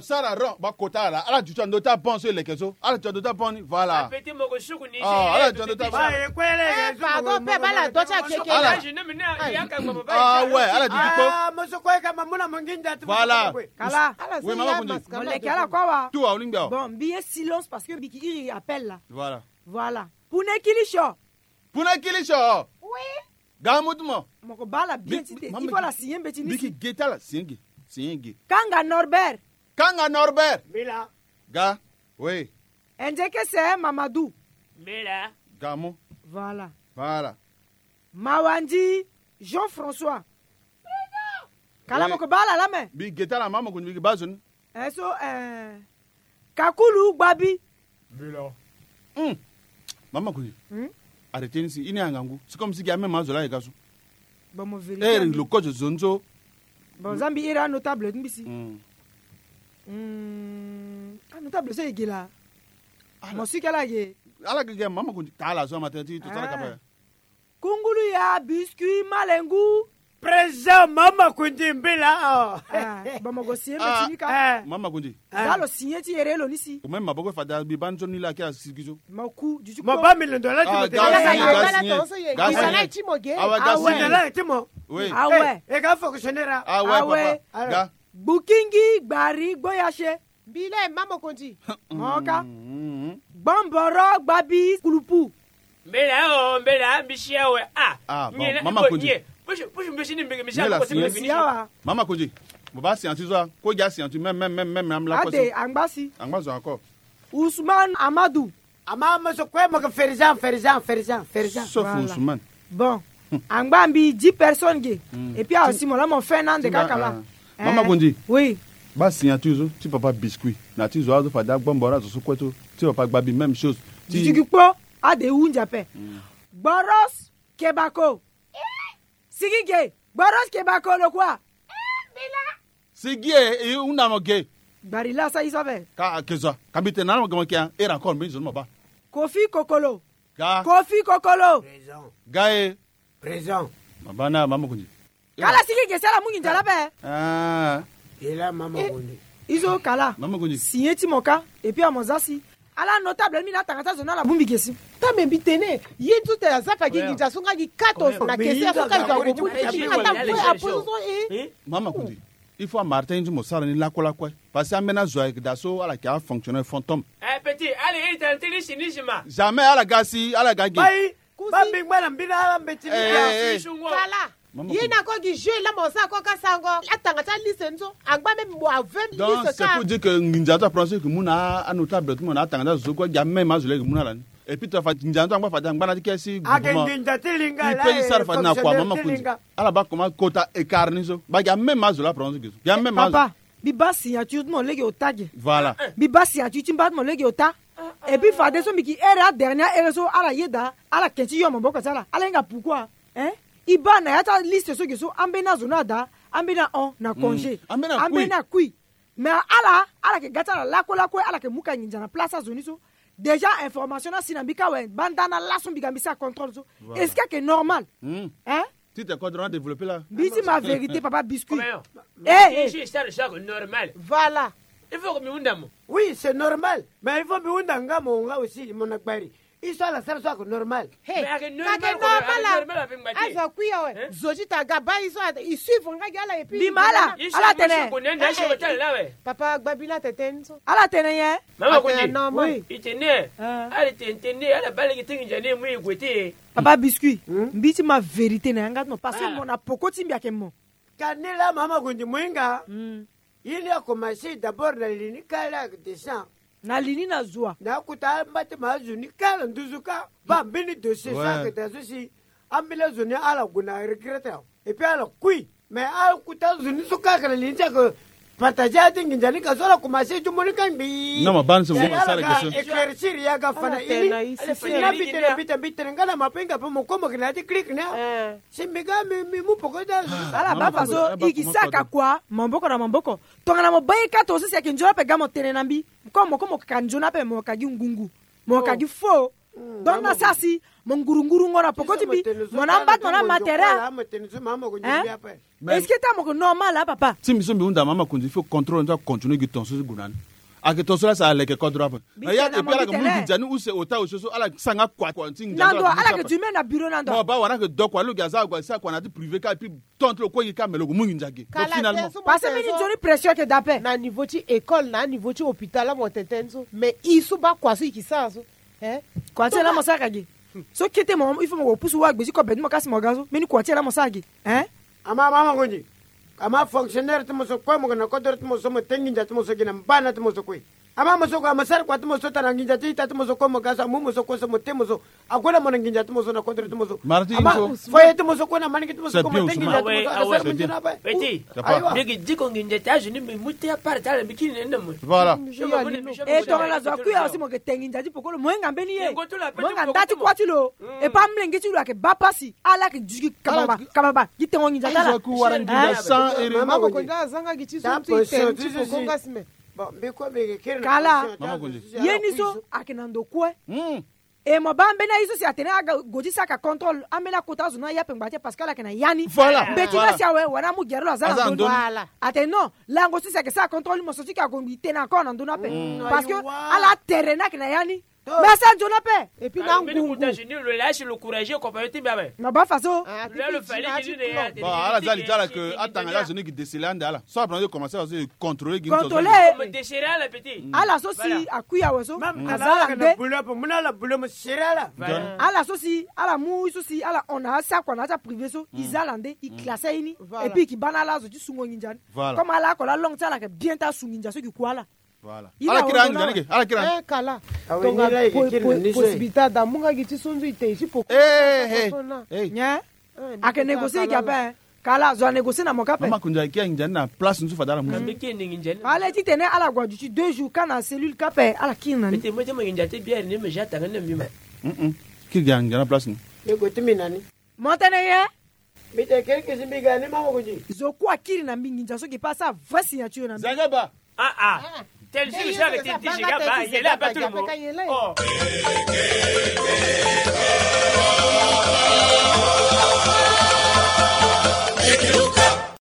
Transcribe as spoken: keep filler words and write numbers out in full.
Sara ron ba kota ala, ala duti ando ti abon so e leke so, ala duti ando ti abon ni, voilà. Petit moko suku ni. Ah, ala duti ando ti abon. Pardon pe bala do ti akeke. Ah ouais, ala duti kpo. Ah, mo so kue ka ma mu na mo nginza ti mo. Voilà. Kala. Oui, mama Kundi. Mo leke ala kue wa. Tout wa olingbi awa. Bon, mbi ye silence parce que mbi ki iri appel là. Voilà. Voilà. Pune kili sio. Pune kili sio. Oui. Ga mutu mo. Moko bala bien ti te. Il faut la signer mbeti ni si. Biki geta la signer ge. Signer ge. Kanga Norbert. Kanga Norbert. Mila. Ga. Oui. Endeke se Mamadou. Mila. Ga mo. Voilà. Voilà. Mawandi Jean-François. Kala moko bala la me. Bi geta la mama ko ni bi ba zone. Eh, so, eh, Kakulu Gbabi. Bila. Hmm. Mama Kundi. Hmm? Arrêtez ni si, i ni angangu. C'est comme si ki a même azola e ga so. Bon, mo vérité. Eh, lo kozo zonzo. Bon, zambi ira notable mbisi. Hmm. Hmm. Ah, notable so e ge la. Mo si kala ge. Ala ge ge mama Kundi. Tala so matin ti to tala kapa. Kungulu ya biscuit malengu. Présent mama Kundi mbila. Ah, bon, mo go signer mbeti ni ka. Mama Kundi. Za lo signer ti ere lo ni si. Même maboko fada bi banzo ni la ki a sigi so. Mo ku du ti mo ba million dollar ti mo te. Ga signer, ga signer. Ga signer. Awa, ga signer. Million dollar ti mo. Oui. Awe. E ga fonctionnaire. Awe, papa. Ga. Bukingi gbari gboyase. Mbila e mama Kundi. Moka. Gbomboro gbabi kulupu. Mbela o, mbela, mbisi awe. Ah, bon, mama Kundi. Pusu, pusu mbisi ni mbingi mbisi awe. Mama Kundi. Mo ba sianti zo a, ko ja sianti même, même, même, même, même la. Ade, angba si. Angba zo encore. Ousmane Amadou. Ama mo so kue mo ke ferizan, ferizan, ferizan, ferizan. Sauf Ousmane. Bon. Angba mbi dix personnes ge. Et puis awa si mo la mo fin nande kaka la. Mama Kundi. Oui. Ba signature so ti papa biscuit. Na ti zo azo fada gbombo na zo so kue so. Ti papa gbabi même chose. Ti digi kpo. Ade hunzi ape. Gboros kebako. Sigi ge. Gboros kebako lo kua. Sigi e, e hunda mo ge. Gbari la sa i so ape. Ka ke zo. Ka mbi tene na mo ge mo ke a. Era encore mbi zo mo ba. Kofi kokolo. Ga. Kofi kokolo. Présent. Ga e. Présent. Mabana mama Kundi. Kala sigi ge sala mungi njala be. Ah. Ela mama Kundi. Izo kala. Mama Kundi. Signer ti mo ka. Et puis amo za si. Ala notable mi na tanga ta zo na la bumbi ge si. Ta me mbi tene. Ye tu te aza fa gi nginza so nga gi kato na kese so ka ga ko bumbi. Mama Kundi. Il faut amartin ti mo sara ni lakue lakue. Parce que ambeni azo ayeke daa so ala yeke afonctionnaire fantôme. Eh, petit, ala iri tene ti lisi ni si ma. Jamais ala ga si, ala ga ge. Ba mbingba na mbina ala mbeti ni. Kala. Ye na ko gi jeu la mo sa ko ka sango. Atanga ti aliste ni so. Angba même mo a vingt. Donc c'est pour dire que nginza ti apranse yeke mu na anotable ti mo na atanga ti azo so kue gi ameme azo la yeke mu na ala ni. Et puis to fa nginza ti angba fade angba na ti ke si. Ake nginza ti linga la. Pe ti sara fade na kua mama Kundi. Ala ba comment kota écart ni so ba gi ameme azo la apranse ge so gi ameme azo. Papa. Mbi baa signature ti mo lege ota ge. Voilà. Mbi baa signature ti mba ti mo lege ota. Et puis fadeso mbi ki ere adernier ere so ala yeda ala ke ti yo maboko ti ala ala hinga pourquoi? Hein? I baa na ya ti aliste so ge so ambeni azo ni ada. Ambeni ahon na congé. Ambeni akui. Mais ala ala ke ga ti ala lakue lakue ala ke mu ka nginza na place azo ni so. Déjà information ni asi na mbi ka awe banda na laso mbi ga mbi sara contrôle so. Est-ce que ayeke normal? Hein? Ti te kodro na développer la. Mbi ti ma vérité papa biscuit. Eh, eh. Normal. Voilà. Il faut que mi hunda mo. Oui, c'est normal. Mais il faut mi hunda nga mo nga aussi mo na gbari. I so ala sara so ake normal. Hey, ake normal. Azo akui awe. Zo ti ta ga ba i so i suivre nga gi ala et puis. Bima ala. Ala tene. Papa gbabila tete ni so. Ala tene ye. Mama Kundi. Oui. I tene. Ala tene tene ala ba lege ti nginza ni mu i gue te. Papa biscuit. Mbi ti ma vérité na yanga ti mo parce que mo na poko ti mbi ayeke mo. Ka ni laa mama Kundi mo hinga. Ye ni akomanse d'abord na li ni kâ laa ayeke descend. Na li ni na zo wa. Na akuta amba ti mo azo ni kâ na nduzu kâ. Baa mbeni dossier so ayeke daa so si ambeni azo ni ala gue na regretter awe. Et puis ala kui. Mais akuta azo ni so kâ ayeke na li ni ti ayeke partager ati nginza ni ka so ala komanse ti mo ni kâ ngbii. Non ma baa ni so mo sara ke so. Éclaircir ya ga fa na ini. Si na mbi tene mbi tene mbi tene nga na mape nga pe mo komo yeke na ya ti clique ni. Si mbi ga mbi mbi mu poko ti azo. Ala baa fa so i gi saka kua maboko na maboko. Tongana mo baa ye kâ to so si ayeke nzoni ape ga mo tene na mbi. Comme mo komo ka nzoni ape mo ka gi ngungu. Mo ka gi faux. Donc na sara si Mo ngurunguru ngo na poko ti mbi. Mo na mbat mo na matera. Hein? Est-ce que ta mo ko normal, hein, papa? Ti mbi so mbi hunda mama Konzi, il faut contrôle nza continuer gi ton so gue na ni. Ake ton so la sa aleke kodro ape. Ya ke pi ala ke mu nginza ni use ota use so ala sanga kua kua ti nginza. Nando ala ke du me na bureau nando. Mo ba wara ke doko alo gi aza agua sa kua na ti privé ka pi tonto lo kue gi ka me lo ko mu nginza gi. Donc finalement. Parce que mini nzoni pression ke dape. Na niveau ti école, na niveau ti hôpital, amo tete nzo. Mais i so ba kua so i ki sa so. Hein? Kua ti ala mo sara ka gi. So kete mo, il faut mo ko pusu wa gbe ti ko beti mo kasi mo ga so. Mini kua ti ala mo sara gi. Hein? Ama, ama, ama, ngonzi. Ama fonctionnaire ti mo so kue, mo ke na kodro ti mo so, mo te nginza ti mo so gi na mbana ti mo so kue. Ama mo so kue, ama sara kua ti mo so, tara nginza ti ita ti mo so kue, mo ga so, amu mo so kue so, mo te mo so. Ague na mo na nginza ti mo so na kodro ti mo so. Ama foyer ti mo so kue, na maniki ti mo so kue, mo te nginza ti mo so, asara mo nzoni ape. Petit. Ayo. Mbi gi diko nginza ti azo ni mbi mu te apart ti ala mbi kiri na ni na mo. Voilà. E tongana zo akui awe si mo ke te nginza ti pokolo, mo hinga mbeni ye. Mo hinga nda ti kua ti lo. E pa mlenge ti lo ake ba pasi. Ala ke duti gi kababa, kababa. Gi tengo nginza ti ala. Azo aku wara nginza sans erreur. Mama ko nda azanga gi ti so ti ten ti poko nga sime. Bon, mbi kue mbi ke kiri na kala. Ye ni so ake na ndo kue. E mo ba mbeni aye so si atene aga go ti saka contrôle, ambeni akota azo na ya pe ngba te parce que ala yeke na ya ni. Voilà. Mbeti nga si awe wala amu gere lo aza na ndö ni. Atene non, lango so si ayeke sara contrôle ni mo so ti yeke ague ngbi tene encore na ndö ni ape. Parce que ala tere ni ayeke na ya ni. Mais asa nzoni ape. Et puis na ngungu. Lo lâche le courage, compagnon ti mbi ape. Na ba façon. Bon, ala za li ti ala ke atanga ti azo ni gi déceler ande ala. So ala pena ti commencer azo contrôler gi. Contrôler. Ala so si akui awe so aza ala nde. Ala so si ala mu so si ala hon na asakua na asa privé so i za ala nde, i classe aye ni. Et puis i ki ba na ala azo ti sungo nginza ni. Comme ala oko la langue ti ala ayeke bien ti asu nginza so i ki ku ala. Ala kiri anginza ni ke, ala kiri. Kala. Tonga possibilité ada mu nga gi ti so nzu i te i ti poko. Ake négocier gi ape. Kala zo anégocier na mo ka ape. Mama Konzi ake anginza ni na place nzu fade ala mu. Ale ti tene ala gue aduti deux jours ka na cellule ka ape ala kiri na ni. Kiri gi anginza na place ni. Mo tene ye. Mbi te kiri kisi mbi ga ni mama Konzi. Zo kue akiri na mbi nginza so gi pe asa vrai signature na mbi. Zagaba. Ah ah. Tel jour ça le titi zagaba yele ape tout le monde. Oh.